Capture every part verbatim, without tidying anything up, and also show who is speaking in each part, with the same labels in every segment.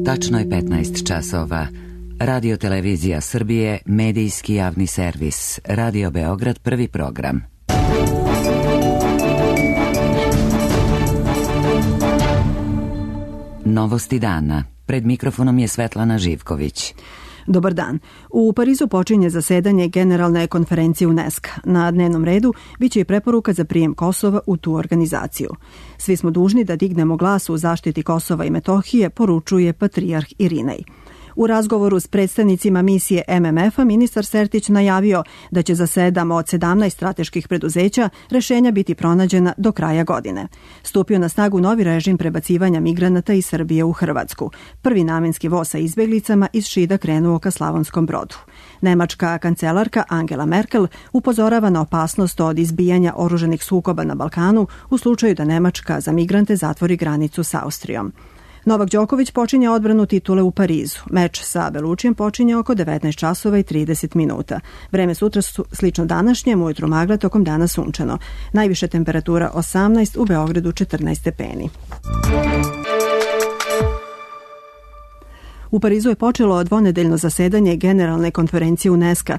Speaker 1: Tačno je petnaest časova. Radio Televizija Srbije, medijski javni servis. Radio Beograd, prvi program. Novosti dana. Pred mikrofonom je Svetlana Živković.
Speaker 2: Dobar dan. U Parizu počinje zasedanje Generalne konferencije UNESCO. Na dnevnom redu biće i preporuka za prijem Kosova u tu organizaciju. Svi smo dužni da dignemo glas u zaštiti Kosova i Metohije, poručuje patrijarh Irinej. U razgovoru s predstavnicima misije M M F-a ministar Sertić najavio da će za sedam od sedamnaest strateških preduzeća rešenja biti pronađena do kraja godine. Stupio na snagu novi režim prebacivanja migranata iz Srbije u Hrvatsku. Prvi namenski voz sa izbeglicama iz Šida krenuo ka Slavonskom Brodu. Nemačka kancelarka Angela Merkel upozorava na opasnost od izbijanja oružanih sukoba na Balkanu u slučaju da Nemačka za migrante zatvori granicu s Austrijom. Novak Đoković počinje odbranu titule u Parizu. Meč sa Belučijem počinje oko devetnaest časova i trideset minuta. Vreme sutra su slično današnjem, ujutro magla, tokom dana sunčano. Najviša temperatura osamnaest, u Beogradu četrnaest stepeni. U Parizu je počelo dvonedeljno zasedanje Generalne konferencije UNESCO,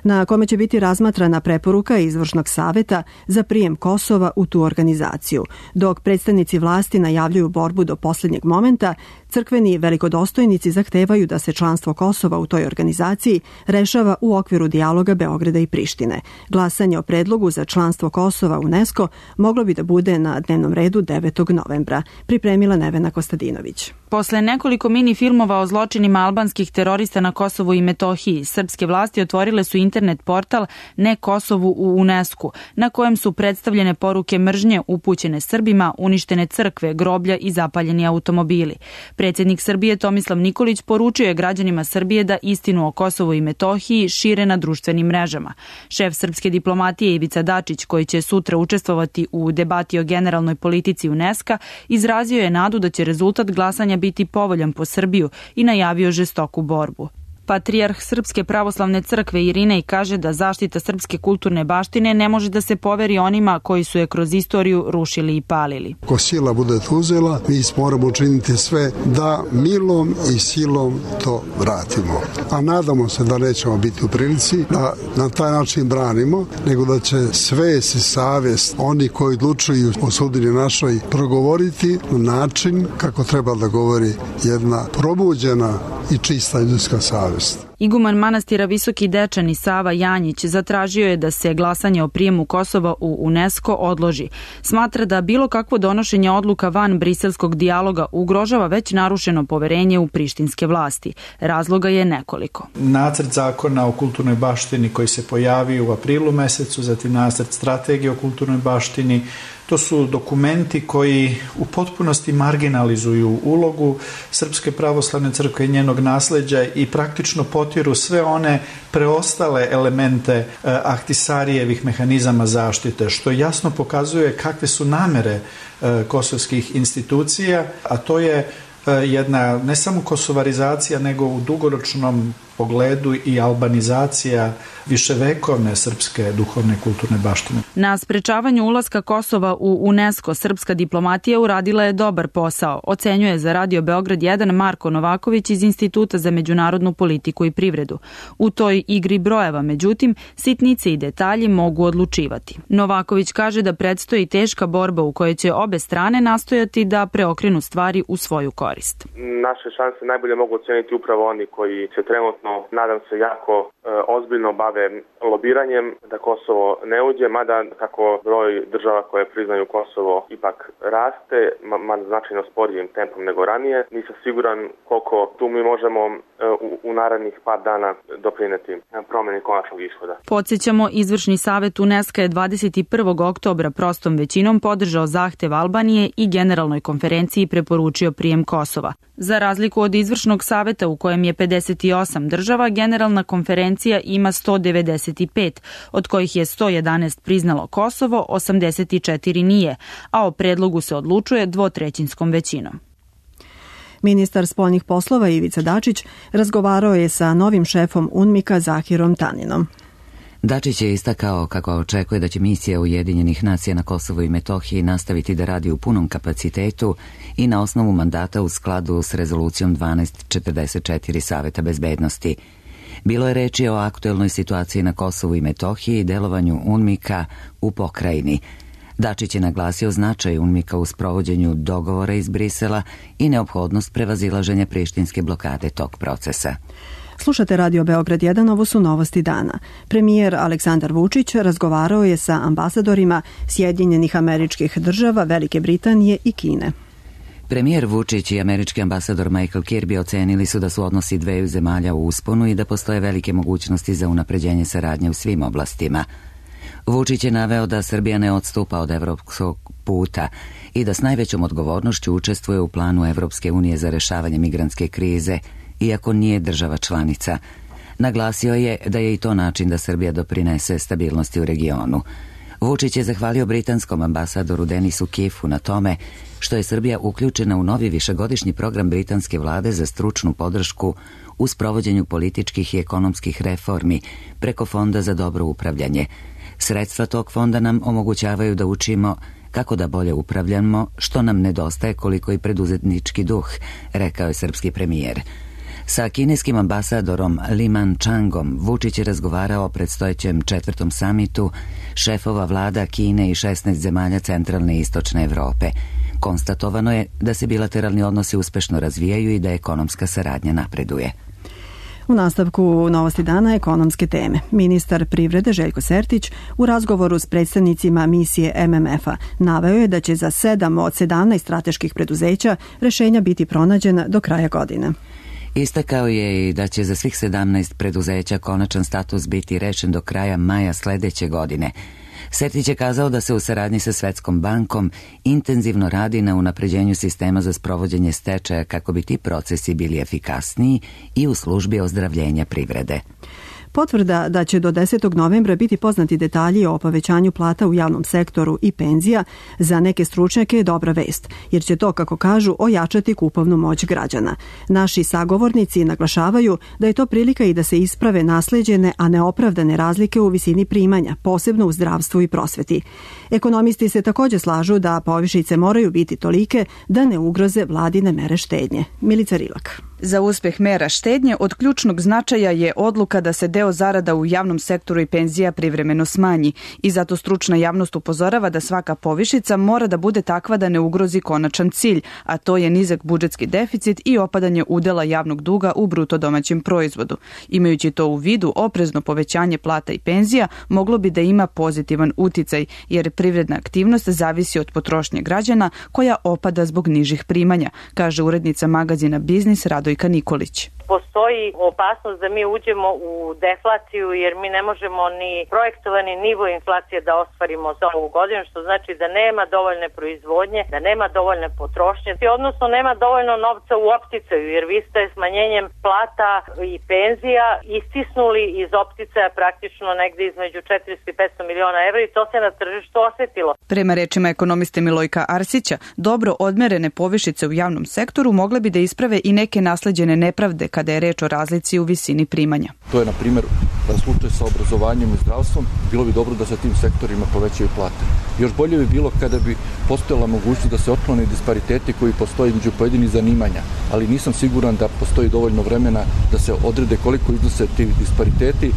Speaker 2: na kome će biti razmatrana preporuka Izvršnog saveta za prijem Kosova u tu organizaciju. Dok predstavnici vlasti najavljuju borbu do posljednjeg momenta, crkveni velikodostojnici zahtevaju da se članstvo Kosova u toj organizaciji rešava u okviru dijaloga Beograda i Prištine. Glasanje o predlogu za članstvo Kosova u UNESCO moglo bi da bude na dnevnom redu devetog novembra. Pripremila Nevena Kostadinović.
Speaker 3: Posle nekoliko mini filmova o zločinima albanskih terorista na Kosovu i Metohiji, srpske vlasti otvorile su internet portal Ne Kosovu u UNESCO, na kojem su predstavljene poruke mržnje upućene Srbima, uništene crkve, groblja i zapaljeni automobili. Predsjednik Srbije Tomislav Nikolić poručio je građanima Srbije da istinu o Kosovu i Metohiji šire na društvenim mrežama. Šef srpske diplomatije Ivica Dačić, koji će sutra učestvovati u debati o generalnoj politici UNESCO, izrazio je nadu da će rezultat glasanja biti povoljan po Srbiju i najavio žestoku borbu. Patrijarh Srpske pravoslavne crkve Irinej kaže da zaštita srpske kulturne baštine ne može da se poveri onima koji su je kroz istoriju rušili i palili.
Speaker 4: Ko sila bude uzela, mi moramo učiniti sve da milom i silom to vratimo. A nadamo se da nećemo biti u prilici da na taj način branimo, nego da će svest i savjest oni koji odlučuju o sudbini našoj progovoriti na način kako treba da govori jedna probuđena i čista ljudska savjest.
Speaker 3: Iguman manastira Visoki Dečani Sava Janjić zatražio je da se glasanje o prijemu Kosova u UNESCO odloži. Smatra da bilo kakvo donošenje odluka van briselskog dijaloga ugrožava već narušeno poverenje u prištinske vlasti. Razloga je nekoliko.
Speaker 5: Nacrt zakona o kulturnoj baštini koji se pojavio u aprilu mesecu, zatim nacrt strategije o kulturnoj baštini. To su dokumenti koji u potpunosti marginalizuju ulogu Srpske pravoslavne crkve i njenog nasleđa i praktično potiru sve one preostale elemente Ahtisarijevih mehanizama zaštite, što jasno pokazuje kakve su namere kosovskih institucija, a to je jedna ne samo kosovarizacija, nego u dugoročnom pogledu i albanizacija viševekovne srpske duhovne kulturne baštine.
Speaker 3: Na sprečavanju ulaska Kosova u UNESCO srpska diplomatija uradila je dobar posao, ocenjuje za Radio Beograd jedan Marko Novaković iz Instituta za međunarodnu politiku i privredu. U toj igri brojeva, međutim, sitnice i detalji mogu odlučivati. Novaković kaže da predstoji teška borba u kojoj će obe strane nastojati da preokrenu stvari u svoju korist.
Speaker 6: Naše šanse najbolje mogu oceniti upravo oni koji se trenutno, nadam se, jako e, ozbiljno bave lobiranjem da Kosovo ne uđe, mada kako broj država koje priznaju Kosovo ipak raste, mada značajno sporijim tempom nego ranije. Nisam siguran koliko tu mi možemo e, u, u narednih par dana doprineti promjeni konačnog ishoda.
Speaker 3: Podsjećamo, Izvršni savet UNESCO je dvadeset prvog oktobra prostom većinom podržao zahtev Albanije i Generalnoj konferenciji preporučio prijem Kosova. Za razliku od Izvršnog saveta u kojem je pedeset osam država, Generalna konferencija ima sto devedeset pet, od kojih je sto jedanaest priznalo Kosovo, osamdeset četiri nije, a o predlogu se odlučuje dvotrećinskom većinom.
Speaker 2: Ministar spoljnih poslova Ivica Dačić razgovarao je sa novim šefom UNMIK-a Zahirom Taninom.
Speaker 1: Dačić je istakao kako očekuje da će misija Ujedinjenih nacija na Kosovu i Metohiji nastaviti da radi u punom kapacitetu i na osnovu mandata u skladu s rezolucijom dvanaest četrdeset četiri Saveta bezbednosti. Bilo je reči o aktuelnoj situaciji na Kosovu i Metohiji i delovanju UNMIK-a u pokrajini. Dačić je naglasio značaj UNMIK-a u sprovođenju dogovora iz Brisela i neophodnost prevazilaženja prištinske blokade tog procesa.
Speaker 2: Slušate Radio Beograd jedan, ovo su novosti dana. Premijer Aleksandar Vučić razgovarao je sa ambasadorima Sjedinjenih Američkih Država, Velike Britanije i Kine.
Speaker 1: Premijer Vučić i američki ambasador Michael Kirby ocenili su da su odnosi dveju zemalja u usponu i da postoje velike mogućnosti za unapređenje saradnje u svim oblastima. Vučić je naveo da Srbija ne odstupa od evropskog puta i da s najvećom odgovornošću učestvuje u planu Evropske unije za rešavanje migrantske krize, iako nije država članica. Naglasio je da je i to način da Srbija doprinese stabilnosti u regionu. Vučić je zahvalio britanskom ambasadoru Denisu Kifu na tome što je Srbija uključena u novi višegodišnji program britanske vlade za stručnu podršku u sprovođenju političkih i ekonomskih reformi preko Fonda za dobro upravljanje. Sredstva tog fonda nam omogućavaju da učimo kako da bolje upravljamo, što nam nedostaje koliko i preduzetnički duh, rekao je srpski premijer. Sa kineskim ambasadorom Liman Changom Vučić je razgovarao o predstojećem četvrtom samitu šefova vlada Kine i šesnaest zemalja centralne i istočne Evrope. Konstatovano je da se bilateralni odnosi uspešno razvijaju i da ekonomska saradnja napreduje.
Speaker 2: U nastavku novosti dana ekonomske teme. Ministar privrede Željko Sertić u razgovoru s predstavnicima misije M M F-a naveo je da će za sedam od sedamnaest strateških preduzeća rešenja biti pronađena do kraja godine.
Speaker 1: Istakao je i da će za svih sedamnaest preduzeća konačan status biti rešen do kraja maja sledeće godine. Sertić je kazao da se u saradnji sa Svetskom bankom intenzivno radi na unapređenju sistema za sprovođenje stečaja kako bi ti procesi bili efikasniji i u službi ozdravljenja privrede.
Speaker 2: Potvrda da će do desetog novembra biti poznati detalji o povećanju plata u javnom sektoru i penzija za neke stručnjake je dobra vest, jer će to, kako kažu, ojačati kupovnu moć građana. Naši sagovornici naglašavaju da je to prilika i da se isprave nasleđene, a neopravdane razlike u visini primanja, posebno u zdravstvu i prosveti. Ekonomisti se također slažu da povišice moraju biti tolike da ne ugroze vladine mere štednje. Milica Rilak.
Speaker 3: Za uspeh mera štednje od ključnog značaja je odluka da se deo zarada u javnom sektoru i penzija privremeno smanji i zato stručna javnost upozorava da svaka povišica mora da bude takva da ne ugrozi konačan cilj, a to je nizak budžetski deficit i opadanje udela javnog duga u bruto domaćem proizvodu. Imajući to u vidu, oprezno povećanje plata i penzija moglo bi da ima pozitivan uticaj, jer privredna aktivnost zavisi od potrošnje građana koja opada zbog nižih primanja, kaže urednica magazina Biznis Radojka Nikolić.
Speaker 7: Postoji opasnost da mi uđemo u deflaciju jer mi ne možemo ni projektovani nivo inflacije da ostvarimo za ovu godinu, što znači da nema dovoljne proizvodnje, da nema dovoljne potrošnje, odnosno nema dovoljno novca u opticaju, jer vi ste smanjenjem plata i penzija istisnuli iz opticaja praktično negde između četiristo i petsto miliona evra i to se na tržištu osetilo.
Speaker 3: Prema rečima ekonomiste Milojka Arsića, dobro odmerene povišice u javnom sektoru mogle bi da isprave i neke nasleđene nepravde kada je reč o razlici u visini primanja.
Speaker 8: To je, na primjer, slučaj sa obrazovanjem i zdravstvom. Bilo bi dobro da se tim sektorima povećaju plate. Još bolje bi bilo kada bi postojala mogućnost da se otklone dispariteti koji postoje među pojedinih zanimanja, ali nisam siguran da postoji dovoljno vremena da se odrede koliko iznose ti dispariteti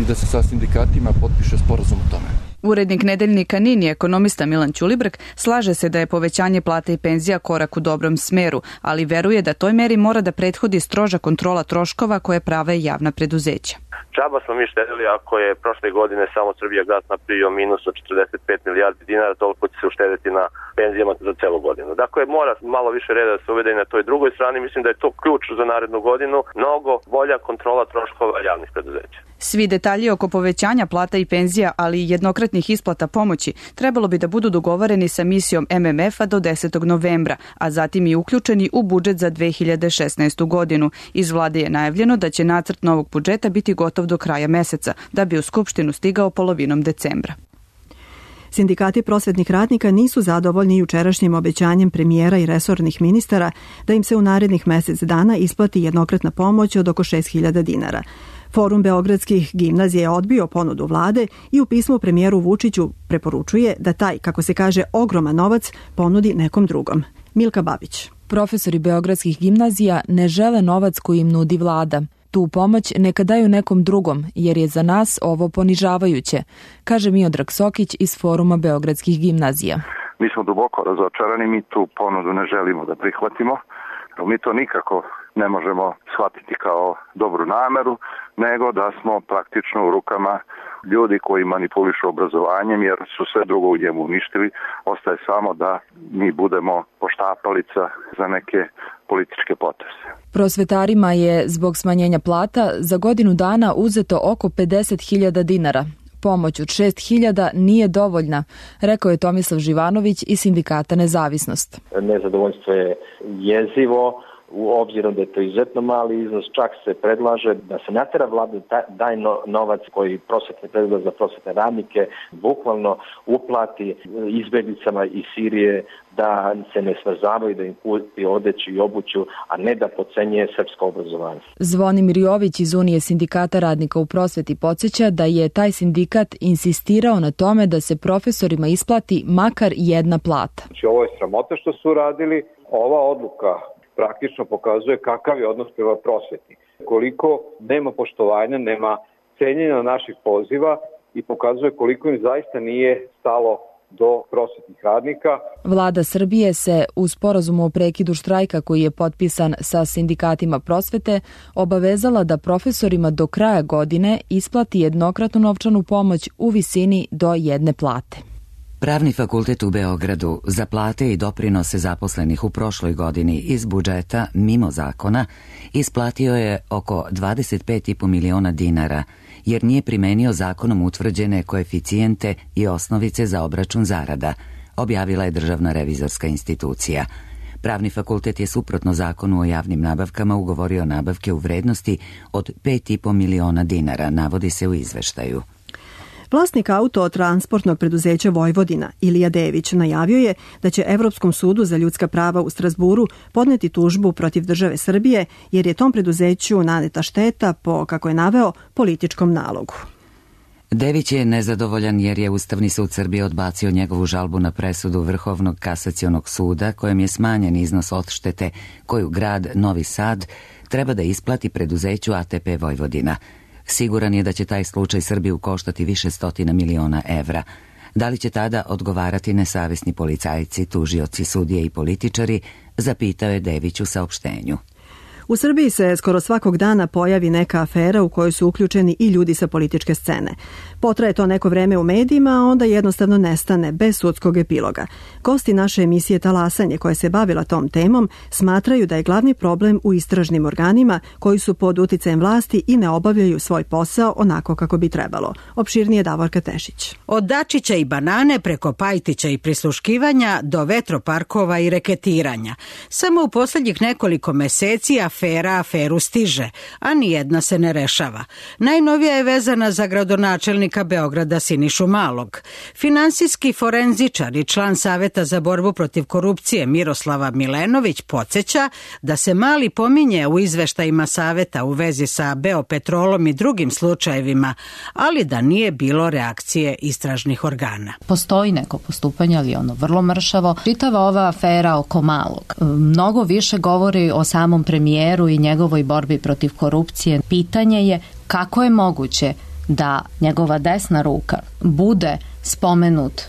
Speaker 8: i da se sa sindikatima potpiše sporazum o tome.
Speaker 3: Urednik nedeljnika Nin i ekonomista Milan Ćulibrk slaže se da je povećanje plata i penzija korak u dobrom smeru, ali veruje da toj meri mora da prethodi stroža kontrola troškova koje prave javna preduzeća.
Speaker 6: Džaba smo mi štedili ako je prošle godine samo Srbijagas napravio minus od četrdeset pet milijardi dinara, toliko će se uštedeti na penzijama za celu godinu. Dakle, mora malo više reda da se uvede i na toj drugoj strani. Mislim da je to ključ za narednu godinu, mnogo bolja kontrola troškova javnih preduzeća.
Speaker 3: Svi detalji oko povećanja plata i penzija, ali i jednokratnih isplata pomoći, trebalo bi da budu dogovoreni sa misijom M M F-a do desetog novembra, a zatim i uključeni u budžet za dve hiljade šesnaestu godinu. Iz vlade je najavljeno da će nacrt novog budžeta biti gotov do kraja meseca, da bi u Skupštinu stigao polovinom decembra.
Speaker 2: Sindikati prosvetnih radnika nisu zadovoljni jučerašnjim obećanjem premijera i resornih ministara da im se u narednih mesec dana isplati jednokratna pomoć od oko šest hiljada dinara. Forum beogradskih gimnazija je odbio ponudu vlade i u pismu premijeru Vučiću preporučuje da taj, kako se kaže, ogroman novac ponudi nekom drugom. Milka Babić.
Speaker 3: Profesori beogradskih gimnazija ne žele novac koji im nudi vlada. Tu pomoć neka daju nekom drugom, jer je za nas ovo ponižavajuće, kaže Miodrag Sokić iz Foruma beogradskih gimnazija.
Speaker 9: Mi smo duboko razočarani, mi tu ponudu ne želimo da prihvatimo. Mi to nikako ne možemo shvatiti kao dobru nameru, nego da smo praktično u rukama ljudi koji manipulišu obrazovanjem, jer su sve drugo u njemu uništili. Ostaje samo da mi budemo poštapalica za neke političke poteze.
Speaker 3: Prosvetarima je zbog smanjenja plata za godinu dana uzeto oko pedeset hiljada dinara. Pomoć od šest hiljada nije dovoljna, rekao je Tomislav Živanović iz Sindikata Nezavisnost.
Speaker 10: Nezadovoljstvo je jezivo, u obzirom da je to izuzetno mali iznos, čak se predlaže da se natera vlada daj novac koji prosvetni predlog za prosvetne radnike bukvalno uplati izbeglicama iz Sirije, da se ne smrzavaju, da im kupi odeću i obuću, a ne da podcenjuje srpsko obrazovanje.
Speaker 3: Zvonimir Jović iz Unije Sindikata radnika u prosveti podsjeća da je taj sindikat insistirao na tome da se profesorima isplati makar jedna plata.
Speaker 11: Znači, ovo je sramota što su uradili. Ova odluka praktično pokazuje kakav je odnos prema prosveti. Koliko nema poštovanja, nema cenjenja naših poziva i pokazuje koliko im zaista nije stalo do prosvetnih radnika.
Speaker 3: Vlada Srbije se u sporazumu o prekidu štrajka koji je potpisan sa sindikatima prosvete obavezala da profesorima do kraja godine isplati jednokratnu novčanu pomoć u visini do jedne plate.
Speaker 1: Pravni fakultet u Beogradu za plate i doprinose zaposlenih u prošloj godini iz budžeta, mimo zakona, isplatio je oko dvadeset pet i po miliona dinara, jer nije primenio zakonom utvrđene koeficijente i osnovice za obračun zarada, objavila je Državna revizorska institucija. Pravni fakultet je suprotno zakonu o javnim nabavkama ugovorio nabavke u vrednosti od pet i po miliona dinara, navodi se u izveštaju.
Speaker 2: Vlasnik autotransportnog preduzeća Vojvodina, Ilija Dević, najavio je da će Evropskom sudu za ljudska prava u Strazburu podneti tužbu protiv države Srbije, jer je tom preduzeću naneta šteta po, kako je naveo, političkom nalogu.
Speaker 1: Dević je nezadovoljan jer je Ustavni sud Srbije odbacio njegovu žalbu na presudu Vrhovnog kasacionog suda kojem je smanjen iznos odštete koju grad Novi Sad treba da isplati preduzeću A T P Vojvodina. Siguran je da će taj slučaj Srbiju koštati više stotina miliona evra. Da li će tada odgovarati nesavesni policajci, tužioci, sudije i političari, zapitao je Dević u saopštenju.
Speaker 2: U Srbiji se skoro svakog dana pojavi neka afera u kojoj su uključeni i ljudi sa političke scene. Potraje to neko vreme u medijima, a onda jednostavno nestane, bez sudskog epiloga. Gosti naše emisije Talasanje, koja se bavila tom temom, smatraju da je glavni problem u istražnim organima koji su pod uticajem vlasti i ne obavljaju svoj posao onako kako bi trebalo. Opširnije Davorka Tešić.
Speaker 12: Od Dačića i banane preko Pajtića i prisluškivanja do vetroparkova i reketiranja. Samo u posljednjih nekoliko meseci afera aferu stiže, a nijedna se ne rešava. Najnovija je vezana za gradonačelnika Beograda Sinišu Malog. Finansijski forenzičar i član Saveta za borbu protiv korupcije Miroslava Milenović podsjeća da se Mali pominje u izveštajima Saveta u vezi sa Beopetrolom i drugim slučajevima, ali da nije bilo reakcije istražnih organa.
Speaker 13: Postoji neko postupanje, ali ono vrlo mršavo. Čitava ova afera oko Malog mnogo više govori o samom premijeru i njegovoj borbi protiv korupcije. Pitanje je kako je moguće da njegova desna ruka bude spomenut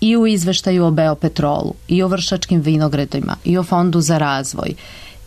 Speaker 13: i u izveštaju o Beopetrolu, i o Vršačkim vinogradima, i o Fondu za razvoj,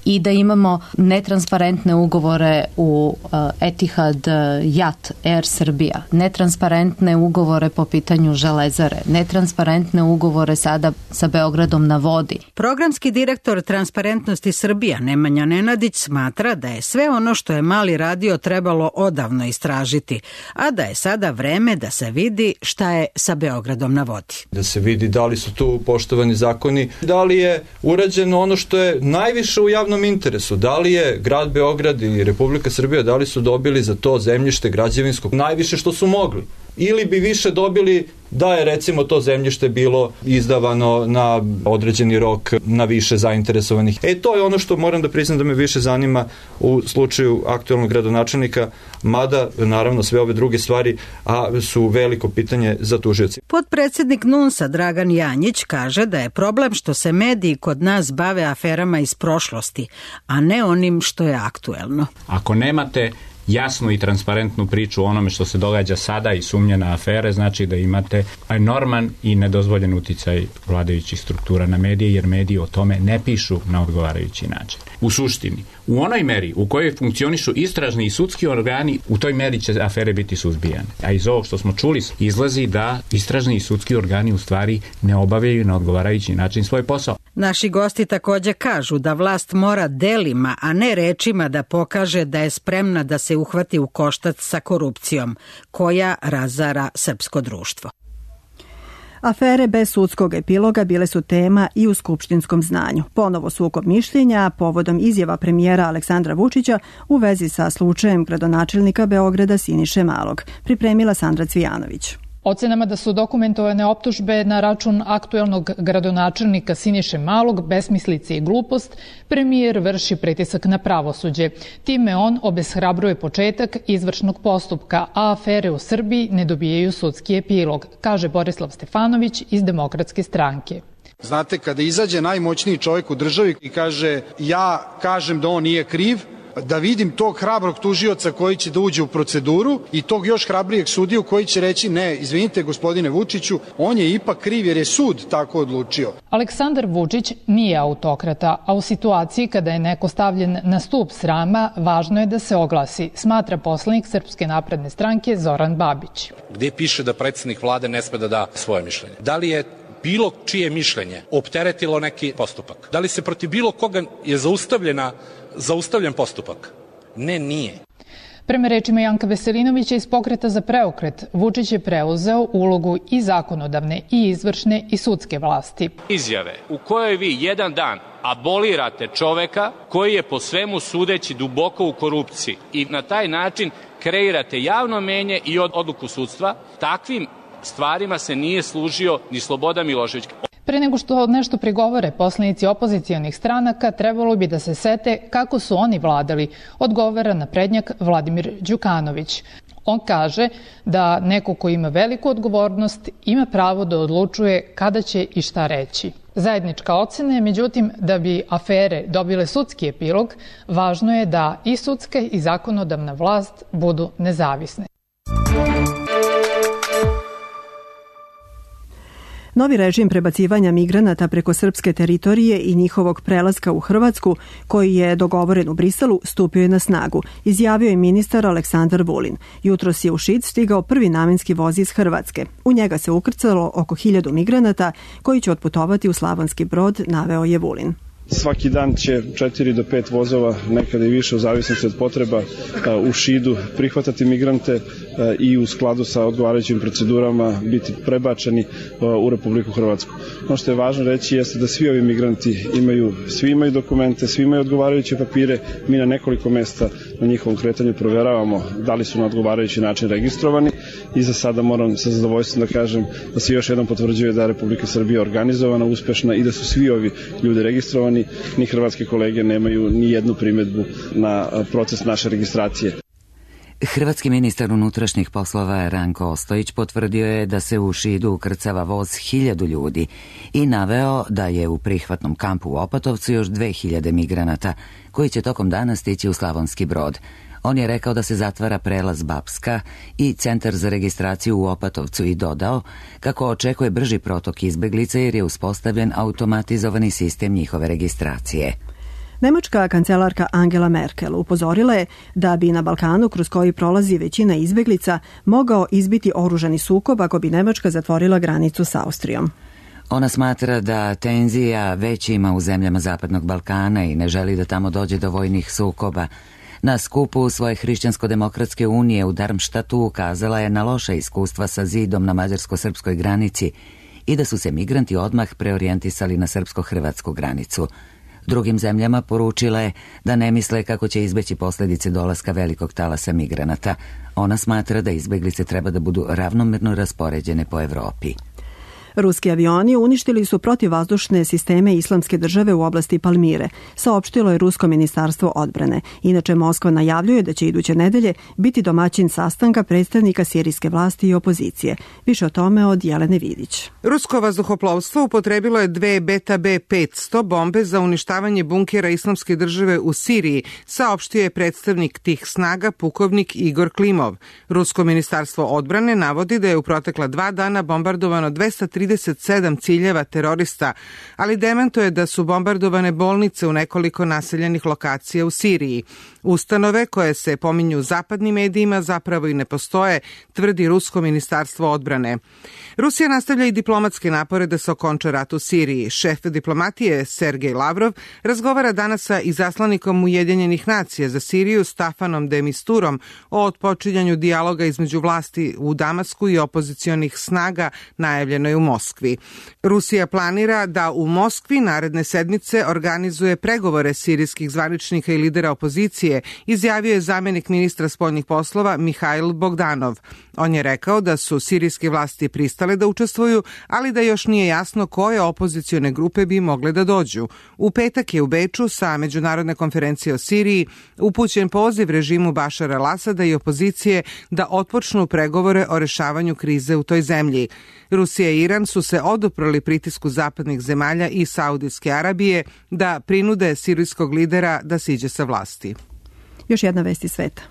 Speaker 13: i da imamo netransparentne ugovore u uh, Etihad, uh, Jat, Air Srbija, netransparentne ugovore po pitanju Železare, netransparentne ugovore sada sa Beogradom na vodi.
Speaker 12: Programski direktor Transparentnosti Srbija Nemanja Nenadić smatra da je sve ono što je Mali radio trebalo odavno istražiti, a da je sada vreme da se vidi šta je sa Beogradom na vodi.
Speaker 14: Da se vidi da li su tu poštovani zakoni, da li je urađeno ono što je najviše u javnom interesu, da li je grad Beograd i Republika Srbija, da li su dobili za to zemljište građevinskog najviše što su mogli. ili bi više dobili da je recimo to zemljište bilo izdavano na određeni rok na više zainteresovanih. E to je ono što moram da priznam da me više zanima u slučaju aktuelnog gradonačelnika, mada naravno sve ove druge stvari a su veliko pitanje za tužioci.
Speaker 12: Podpredsednik N U N S-a Dragan Janjić kaže da je problem što se mediji kod nas bave aferama iz prošlosti, a ne onim što je aktuelno.
Speaker 15: Ako nemate jasnu i transparentnu priču o onome što se događa sada i sumnje na afere, znači da imate enorman i nedozvoljen uticaj vladajućih struktura na medije, jer mediji o tome ne pišu na odgovarajući način. U suštini, u onoj meri u kojoj funkcionišu istražni i sudski organi, u toj meri će afere biti suzbijane. A iz ovog što smo čuli izlazi da istražni i sudski organi u stvari ne obavljaju na odgovarajući način svoj posao.
Speaker 12: Naši gosti takođe kažu da vlast mora delima, a ne rečima da pokaže da je spremna da se uhvati u koštac sa korupcijom, koja razara srpsko društvo.
Speaker 2: Afere bez sudskog epiloga bile su tema i u skupštinskom znanju. Ponovo sukob mišljenja povodom izjava premijera Aleksandra Vučića u vezi sa slučajem gradonačelnika Beograda Siniše Malog. Pripremila Sandra Cvijanović.
Speaker 16: Ocenama da su dokumentovane optužbe na račun aktuelnog gradonačelnika Siniše Malog, besmislice i glupost, premijer vrši pritisak na pravosuđe. Time on obeshrabruje početak izvršnog postupka, a afere u Srbiji ne dobijaju sudski epilog, kaže Borislav Stefanović iz Demokratske stranke.
Speaker 17: Znate, kada izađe najmoćniji čovjek u državi i kaže ja kažem da on nije kriv, da vidim tog hrabrog tužioca koji će da uđe u proceduru i tog još hrabrijeg sudiju koji će reći ne, izvinite gospodine Vučiću, on je ipak kriv jer je sud tako odlučio.
Speaker 16: Aleksandar Vučić nije autokrata, a u situaciji kada je neko stavljen na stup srama, važno je da se oglasi, smatra poslanik Srpske napredne stranke Zoran Babić.
Speaker 18: Gde piše da predsjednik vlade ne sme da da svoje mišljenje? Da li je bilo čije mišljenje opteretilo neki postupak? Da li se protiv bilo koga je zaustavljena zaustavljen postupak? Ne, nije.
Speaker 16: Prema rečima Janka Veselinovića iz Pokreta za preokret, Vučić je preuzeo ulogu i zakonodavne i izvršne i sudske vlasti.
Speaker 19: Izjave u kojoj vi jedan dan abolirate čoveka koji je po svemu sudeći duboko u korupciji i na taj način kreirate javno menje i odluku sudstva, takvim stvarima se nije služio ni Slobodan Milošević.
Speaker 16: Pre nego što nešto prigovore poslanici opozicijonih stranaka, trebalo bi da se sete kako su oni vladali, odgovara naprednjak Vladimir Đukanović. On kaže da neko ko ima veliku odgovornost ima pravo da odlučuje kada će i šta reći. Zajednička ocena je, međutim, da bi afere dobile sudski epilog, važno je da i sudska i zakonodavna vlast budu nezavisne.
Speaker 2: Novi režim prebacivanja migranata preko srpske teritorije i njihovog prelaska u Hrvatsku, koji je dogovoren u Briselu, stupio je na snagu, izjavio je ministar Aleksandar Vulin. Jutros je u Šid stigao prvi namenski voz iz Hrvatske. U njega se ukrcalo oko hiljadu migranata koji će otputovati u Slavonski Brod, naveo je Vulin.
Speaker 20: Svaki dan će četiri do pet vozova, nekada i više u zavisnosti od potreba, u Šidu prihvatati migrante i u skladu sa odgovarajućim procedurama biti prebačeni u Republiku Hrvatsku. Ono što je važno reći jeste da svi ovi migranti imaju, svi imaju dokumente, svi imaju odgovarajuće papire. Mi na nekoliko mesta na njihovom kretanju proveravamo da li su na odgovarajući način registrovani i za sada moram sa zadovoljstvom da kažem da se još jednom potvrđuje da je Republika Srbija organizovana, uspešna i da su svi ovi ljudi registrovani. Ni hrvatske kolege nemaju ni jednu primedbu na proces naše registracije.
Speaker 1: Hrvatski ministar unutrašnjih poslova Ranko Ostojić potvrdio je da se u Šidu ukrcava voz hiljadu ljudi i naveo da je u prihvatnom kampu u Opatovcu još dve hiljade migranata koji će tokom dana stići u Slavonski Brod. On je rekao da se zatvara prelaz Bapska i centar za registraciju u Opatovcu i dodao kako očekuje brži protok izbeglica jer je uspostavljen automatizovani sistem njihove registracije.
Speaker 2: Nemačka kancelarka Angela Merkel upozorila je da bi na Balkanu, kroz koji prolazi većina izbeglica, mogao izbiti oružani sukob ako bi Nemačka zatvorila granicu s Austrijom.
Speaker 1: Ona smatra da tenzija već ima u zemljama Zapadnog Balkana i ne želi da tamo dođe do vojnih sukoba. Na skupu svoje Hrišćansko-demokratske unije u Darmštatu ukazala je na loša iskustva sa zidom na mađarsko-srpskoj granici i da su se migranti odmah preorijentisali na srpsko-hrvatsku granicu. Drugim zemljama poručila je da ne misle kako će izbeći posljedice dolaska velikog talasa migranata. Ona smatra da izbeglice treba da budu ravnomerno raspoređene po Evropi.
Speaker 2: Ruski avioni uništili su protivvazdušne sisteme Islamske države u oblasti Palmire, saopštilo je Rusko ministarstvo odbrane. Inače, Moskva najavljuje da će iduće nedelje biti domaćin sastanka predstavnika sirijske vlasti i opozicije. Više o tome od Jelene Vidić.
Speaker 21: Rusko vazduhoplovstvo upotrebilo je dve Beta B petsto bombe za uništavanje bunkera Islamske države u Siriji, saopštio je predstavnik tih snaga pukovnik Igor Klimov. Rusko ministarstvo odbrane navodi da je u protekla dva dana bombardovano dvesta trideset sedam ciljeva terorista, ali demantuje da su bombardovane bolnice u nekoliko naseljenih lokacija u Siriji. Ustanove koje se pominju u zapadnim medijima zapravo i ne postoje, tvrdi Rusko ministarstvo odbrane. Rusija nastavlja i diplomatske napore da se okonča rat u Siriji. Šef diplomatije Sergej Lavrov razgovara danas sa izaslanikom Ujedinjenih nacija za Siriju Stafanom de Misturom o otpočinjanju dijaloga između vlasti u Damasku i opozicionih snaga najavljenoj u Moskvi. Rusija planira da u Moskvi naredne sedmice organizuje pregovore sirijskih zvaničnika i lidera opozicije, izjavio je zamjenik ministra spoljnih poslova Mihajl Bogdanov. On je rekao da su sirijske vlasti pristale da učestvuju, ali da još nije jasno koje opozicione grupe bi mogle da dođu. U petak je u Beču sa međunarodne konferencije o Siriji upućen poziv režimu Bašara al-Asada i opozicije da otpočnu pregovore o rešavanju krize u toj zemlji. Rusija i Iran su se oduprli pritisku zapadnih zemalja i Saudijske Arabije da prinude sirijskog lidera da siđe sa vlasti.
Speaker 2: Još jedna vest iz sveta.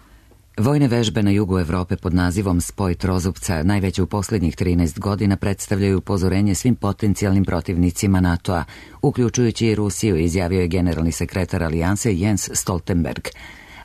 Speaker 1: Vojne vežbe na jugu Evrope pod nazivom Spoj trozupca, najveće u posljednjih trinaest godina, predstavljaju upozorenje svim potencijalnim protivnicima NATO-a, uključujući i Rusiju, izjavio je generalni sekretar alijanse Jens Stoltenberg.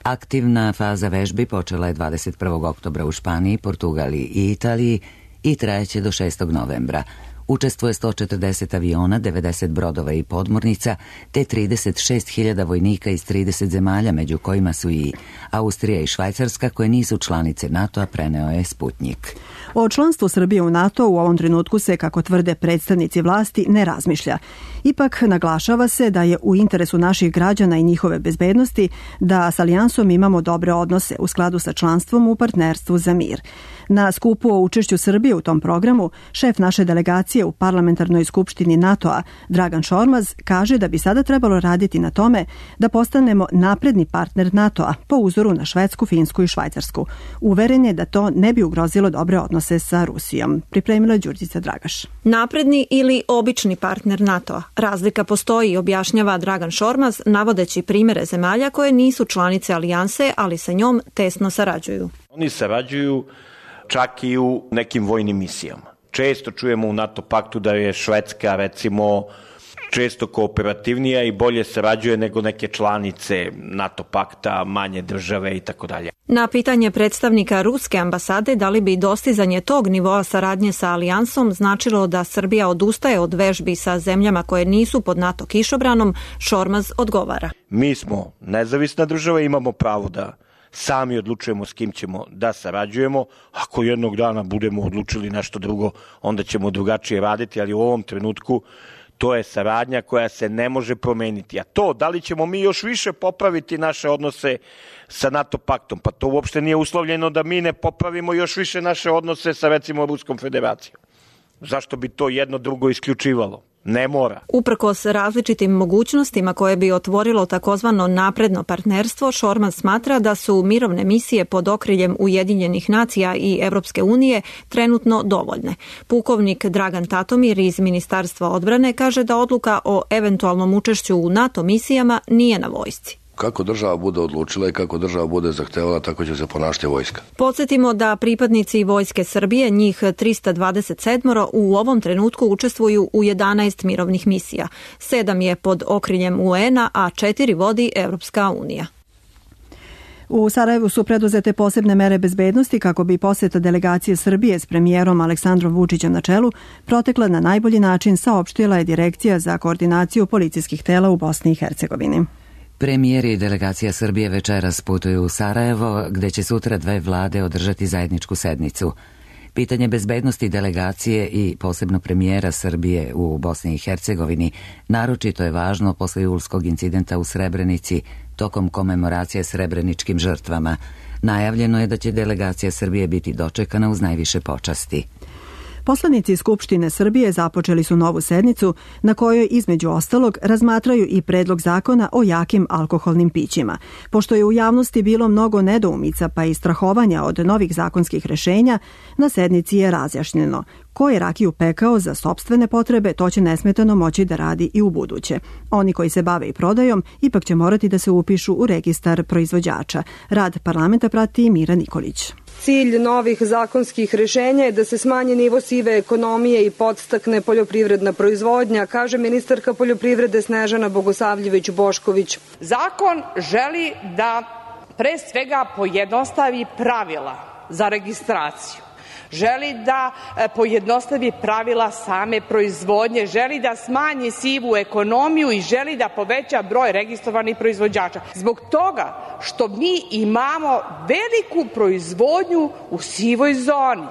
Speaker 1: Aktivna faza vežbi počela je dvadeset prvog oktobra u Španiji, Portugaliji i Italiji i trajeće do šestog novembra. Učestvuje sto četrdeset aviona, devedeset brodova i podmornica, te trideset šest hiljada vojnika iz trideset zemalja, među kojima su i Austrija i Švajcarska, koje nisu članice NATO-a, preneo je Sputnjik.
Speaker 2: O članstvu Srbije u NATO u ovom trenutku se, kako tvrde predstavnici vlasti, ne razmišlja. Ipak naglašava se da je u interesu naših građana i njihove bezbednosti da s alijansom imamo dobre odnose u skladu sa članstvom u partnerstvu za mir. Na skupu o učešću Srbije u tom programu, šef naše delegacije u parlamentarnoj skupštini NATO-a, Dragan Šormaz, kaže da bi sada trebalo raditi na tome da postanemo napredni partner NATO-a po uzoru na Švedsku, Finsku i Švajcarsku. Uveren je da to ne bi ugrozilo dobre odnose sa Rusijom. Pripremila je Đurđica Dragaš.
Speaker 22: Napredni ili obični partner NATO-a. Razlika postoji, objašnjava Dragan Šormaz, navodeći primere zemalja koje nisu članice alijanse, ali sa njom tesno sarađuju.
Speaker 23: Oni sarađuju čak i u nekim vojnim misijama. Često čujemo u NATO paktu da je Švedska, recimo, često kooperativnija i bolje sarađuje nego neke članice NATO pakta, manje države i tako dalje.
Speaker 22: Na pitanje predstavnika ruske ambasade da li bi dostizanje tog nivoa saradnje sa alijansom značilo da Srbija odustaje od vežbi sa zemljama koje nisu pod NATO kišobranom, Šormaz odgovara.
Speaker 23: Mi smo nezavisna država i imamo pravo da sami odlučujemo s kim ćemo da sarađujemo. Ako jednog dana budemo odlučili nešto drugo, onda ćemo drugačije raditi, ali u ovom trenutku to je saradnja koja se ne može promeniti. A to, da li ćemo mi još više popraviti naše odnose sa NATO paktom, pa to uopšte nije uslovljeno da mi ne popravimo još više naše odnose sa, recimo, Ruskom federacijom. Zašto bi to jedno drugo isključivalo? Ne mora.
Speaker 22: Uprkos različitim mogućnostima koje bi otvorilo takozvano napredno partnerstvo, Šormaz smatra da su mirovne misije pod okriljem Ujedinjenih nacija i Evropske unije trenutno dovoljne. Pukovnik Dragan Tatomir iz Ministarstva odbrane kaže da odluka o eventualnom učešću u NATO misijama nije na vojsci.
Speaker 24: Kako država bude odlučila i kako država bude zahtevala, tako će se ponašati vojska.
Speaker 22: Podsjetimo da pripadnici Vojske Srbije, njih trista dvadeset sedam, u ovom trenutku učestvuju u jedanaest mirovnih misija. Sedam je pod okriljem U N-a, a četiri vodi Evropska unija.
Speaker 2: U Sarajevu su preduzete posebne mere bezbednosti kako bi poseta delegacije Srbije s premijerom Aleksandrom Vučićem na čelu protekla na najbolji način, saopštila je Direkcija za koordinaciju policijskih tela u Bosni i Hercegovini.
Speaker 1: Premijer i delegacija Srbije večeras putuju u Sarajevo, gde će sutra dve vlade održati zajedničku sednicu. Pitanje bezbednosti delegacije i posebno premijera Srbije u Bosni i Hercegovini naročito je važno posle julskog incidenta u Srebrenici tokom komemoracije srebreničkim žrtvama. Najavljeno je da će delegacija Srbije biti dočekana uz najviše počasti.
Speaker 2: Poslanici Skupštine Srbije započeli su novu sednicu na kojoj između ostalog razmatraju i predlog zakona o jakim alkoholnim pićima. Pošto je u javnosti bilo mnogo nedoumica pa i strahovanja od novih zakonskih rešenja, na sednici je razjašnjeno ko je rakiju pekao za sopstvene potrebe, to će nesmetano moći da radi i u buduće. Oni koji se bave i prodajom ipak će morati da se upišu u registar proizvođača. Rad parlamenta prati Mira Nikolić.
Speaker 4: Cilj novih zakonskih rešenja je da se smanji nivo sive ekonomije i podstakne poljoprivredna proizvodnja, kaže ministarka poljoprivrede Snežana Bogosavljević-Bošković.
Speaker 5: Zakon želi da pre svega pojednostavi pravila za registraciju. Želi da pojednostavi pravila same proizvodnje, želi da smanji sivu ekonomiju i želi da poveća broj registrovanih proizvođača. Zbog toga što mi imamo veliku proizvodnju u sivoj zoni.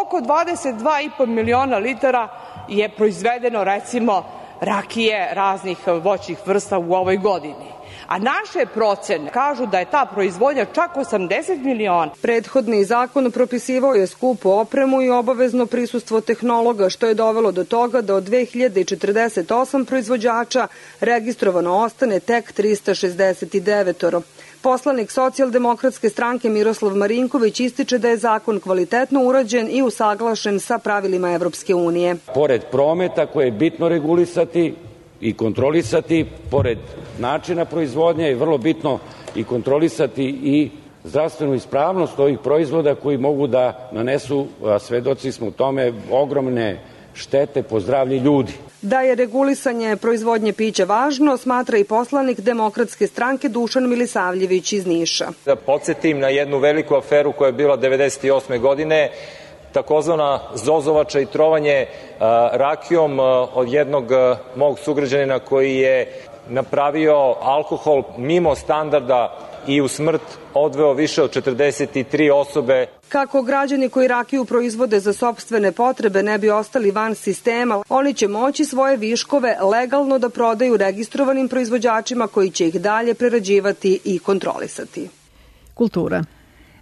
Speaker 5: Oko dvadeset dva i po miliona litara je proizvedeno recimo rakije raznih voćnih vrsta u ovoj godini. A naše procene kažu da je ta proizvodnja čak osamdeset miliona.
Speaker 4: Prethodni zakon propisivao je skupu opremu i obavezno prisustvo tehnologa, što je dovelo do toga da od dve hiljade četrdeset osam proizvođača registrovano ostane tek trista šezdeset devet. Poslanik Socijaldemokratske stranke Miroslav Marinković ističe da je zakon kvalitetno urađen i usaglašen sa pravilima Evropske unije.
Speaker 7: Pored prometa koje je bitno regulisati i kontrolisati, pored načina proizvodnje je vrlo bitno i kontrolisati i zdravstvenu ispravnost ovih proizvoda koji mogu da nanesu, a svedoci smo u tome, ogromne štete po zdravlje ljudi.
Speaker 4: Da je regulisanje proizvodnje pića važno, smatra i poslanik Demokratske stranke Dušan Milisavljević iz Niša.
Speaker 8: Da podsjetim na jednu veliku aferu koja je bila devedeset osme godine, takozvana zozovača i trovanje rakijom od jednog mog sugrađanina koji je napravio alkohol mimo standarda i u smrt odveo više od četrdeset tri osobe.
Speaker 4: Kako građani koji rakiju proizvode za sopstvene potrebe ne bi ostali van sistema, oni će moći svoje viškove legalno da prodaju registrovanim proizvođačima koji će ih dalje prerađivati i kontrolisati.
Speaker 2: Kultura.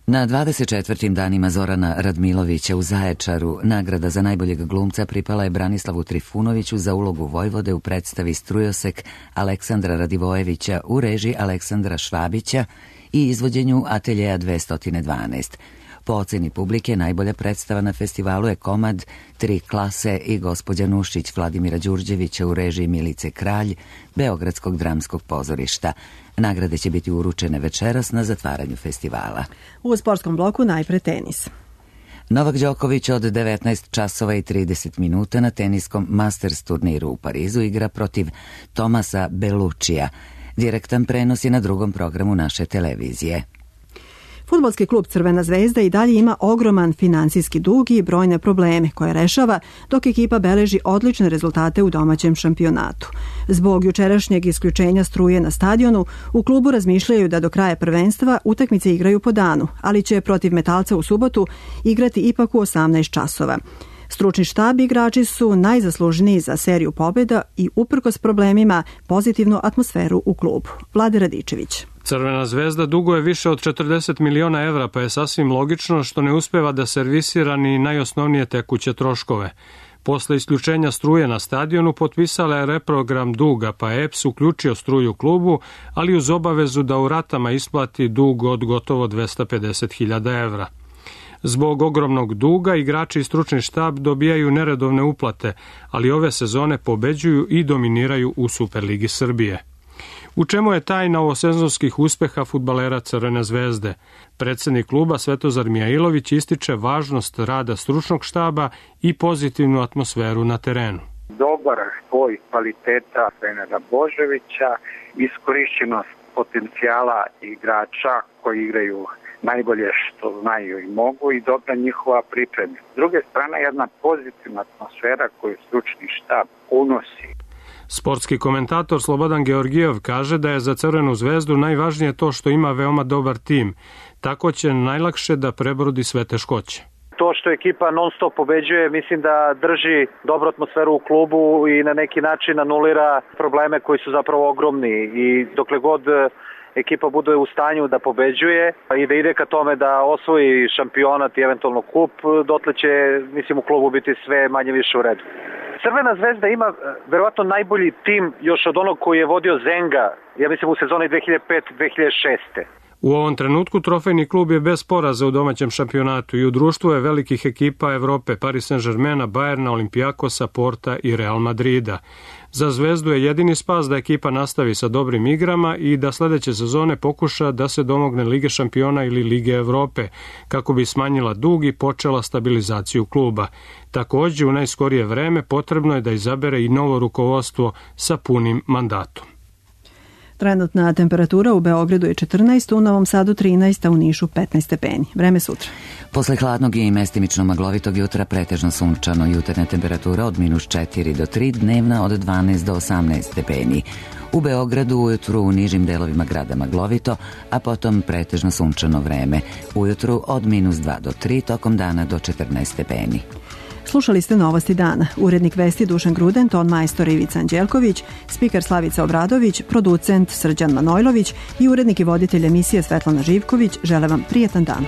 Speaker 1: Na dvadeset četvrtim danima Zorana Radmilovića u Zaječaru nagrada za najboljeg glumca pripala je Branislavu Trifunoviću za ulogu Vojvode u predstavi Strujosek Aleksandra Radivojevića u režiji Aleksandra Švabića i izvođenju Ateljeja dvesta dvanaest. Po oceni publike najbolja predstava na festivalu je komad Tri klase i Gospođa Nušić Vladimira Đurđevića u režiji Milice Kralj Beogradskog dramskog pozorišta. Nagrade će biti uručene večeras na zatvaranju festivala.
Speaker 2: U sportskom bloku najpre tenis.
Speaker 1: Novak Đoković od devetnaest časova i trideset minuta na teniskom Masters turniru u Parizu igra protiv Tomasa Belučija. Direktan prenos je na drugom programu naše televizije.
Speaker 2: Fudbalski klub Crvena zvezda i dalje ima ogroman finansijski dug i brojne probleme koje rešava, dok ekipa beleži odlične rezultate u domaćem šampionatu. Zbog jučerašnjeg isključenja struje na stadionu, u klubu razmišljaju da do kraja prvenstva utakmice igraju po danu, ali će protiv Metalca u subotu igrati ipak u osamnaest časova. Stručni štab i igrači su najzaslužniji za seriju pobjeda i uprkos problemima pozitivnu atmosferu u klubu. Vlade Radičević.
Speaker 25: Crvena zvezda duguje više od četrdeset miliona evra, pa je sasvim logično što ne uspeva da servisira ni najosnovnije tekuće troškove. Posle isključenja struje na stadionu potpisala je reprogram duga, pa je E P S uključio struju klubu, ali uz obavezu da u ratama isplati dug od gotovo dvesta pedeset hiljada evra. Zbog ogromnog duga igrači i stručni štab dobijaju neredovne uplate, ali ove sezone pobeđuju i dominiraju u Superligi Srbije. U čemu je tajna ovosezonskih uspeha fudbalera Crvene zvezde? Predsednik kluba Svetozar Mijailović ističe važnost rada stručnog štaba i pozitivnu atmosferu na terenu.
Speaker 26: Dobar spoj kvaliteta trenera Boževića, iskorišćenost potencijala igrača koji igraju najbolje što znaju i mogu i dobra njihova priprema. S druge strane, jedna pozitivna atmosfera koju stručni štab unosi.
Speaker 25: Sportski komentator Slobodan Georgijev kaže da je za Crvenu zvezdu najvažnije to što ima veoma dobar tim. Tako će najlakše da prebrodi sve teškoće.
Speaker 3: To što ekipa non stop pobeđuje, mislim da drži dobru atmosferu u klubu i na neki način anulira probleme koji su zapravo ogromni i dokle god ekipa bude u stanju da pobeđuje i da ide ka tome da osvoji šampionat i eventualno kup, dotle će, mislim, u klubu biti sve manje više u redu. Crvena zvezda ima verovatno najbolji tim još od onog koji je vodio Zenga, ja mislim u sezoni dve hiljade pete dve hiljade šeste.
Speaker 25: U ovom trenutku trofejni klub je bez poraza u domaćem šampionatu i u društvu je velikih ekipa Evrope, Paris Saint-Germaina, Bayerna, Olimpijakosa, Porta i Real Madrida. Za Zvezdu je jedini spas da ekipa nastavi sa dobrim igrama i da sledeće sezone pokuša da se domogne Lige šampiona ili Lige Evrope, kako bi smanjila dug i počela stabilizaciju kluba. Takođe, u najskorije vreme potrebno je da izabere i novo rukovodstvo sa punim mandatom.
Speaker 2: Trenutna temperatura u Beogradu je četrnaest, u Novom Sadu trinaest, a u Nišu petnaest stepeni. Vreme sutra.
Speaker 1: Posle hladnog i mestimično maglovitog jutra pretežno sunčano, jutarnja temperatura od minus četiri do tri, dnevna od dvanaest do osamnaest stepeni. U Beogradu ujutru u nižim delovima grada maglovito, a potom pretežno sunčano vreme. Ujutru od minus dva do tri, tokom dana do četrnaest stepeni.
Speaker 2: Slušali ste Novosti dana. Urednik vesti Dušan Gruden, ton majstor Ivica Anđelković, spiker Slavica Obradović, producent Srđan Manojlović i urednik i voditelj emisije Svetlana Živković žele vam prijetan dan.